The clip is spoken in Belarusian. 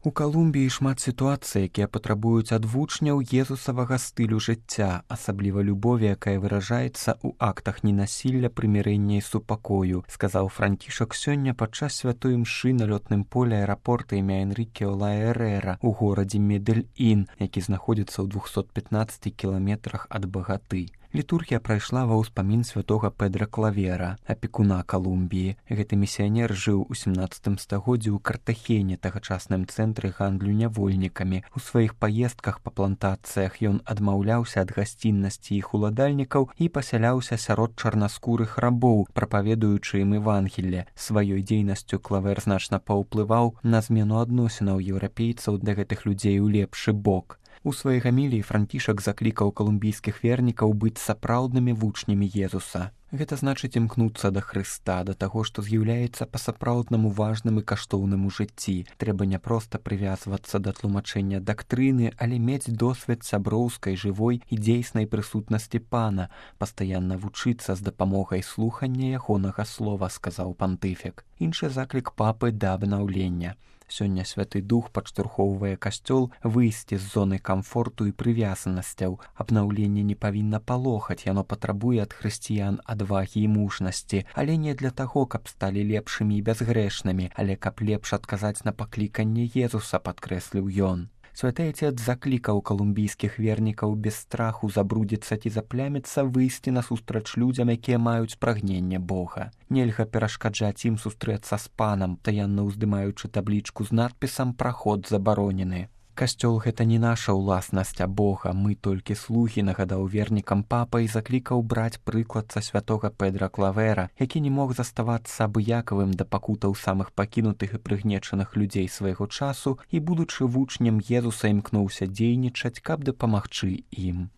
У Калумбіі шмат сітуацый, якія патрабуюць ад вучняў езусавага стылю жыцця, асабліва любові, якая выражаецца ў актах ненасілля, прымірэння і супакою, сказаў Францішак сёння падчас святой імшы на лётным полі аэрапорта імя Энріке Олая Эрера ў горадзе Медэль-Ін, які знаходзіцца ў 215 кіламетрах ад Багаты. Літургія прайшла ва ўспамін святога Педра Клавера, апекуна Калумбіі. Гэты місіянер жыў у 17 стагоддзі ў Картахене, тагачасным цэнтры гандлю нявольнікамі. У сваіх паездках па плантацыях ён адмаўляўся ад гасціннасці іх уладальнікаў і пасяляўся сярод чарнаскурых рабоў, прапаведуючы ім Евангелле. Сваёй дзейнасцю Клавер значна паўплываў на змену адносінаў еўрапейцаў да гэтых людзей у лепшы бок. У сваёй гаміліі Францішак заклікаў калумбійскіх вернікаў быць сапраўднымі вучнямі Езуса. Гэта значыць імкнуцца да Хрыста, да таго, што з'яўляецца па-сапраўднаму важным і каштоўным у жыцці. Трэба не проста прывязвацца да тлумачэння дактрыны, але мець досвед сяброўскай, жывой і дзейснай прысутнасці Пана, пастаянна вучыцца з дапамогай слухання ягонага слова, сказаў пантыфік. Іншы заклік папы да абнаўлення. Сёння Святы Дух падштурхоўвае касцёл выйсці з зоны камфорту і прывязанасцяў. Абнаўленне не павінна палохаць, яно патрабуе ад хрысціян адвагі і мужнасці, але не для таго, каб сталі лепшымі і бязгрэшнымі, але каб лепш адказаць на пакліканне Езуса, падкрэсліў ён. Святы Отец заклікаў калумбійскіх вернікаў без страху забрудзіцца ці запляміцца выйсці насустрач людзям, якія маюць прагненне Бога. Нельга перашкаджаць ім сустрэцца з Панам, таянна ўздымаючы таблічку з надпісам «Праход забаронены». Касцёл гэта не наша ўласнасць, а Бога, мы толькі слугі, нагадаў вернікам папа і заклікаў браць прыклад са святога Педра Клавера, які не мог заставацца абыякавым да пакутаў самых пакінутых і прыгнечаных людзей свайго часу і, будучы вучнем Езуса, імкнуўся дзейнічаць, каб дапамагчы ім.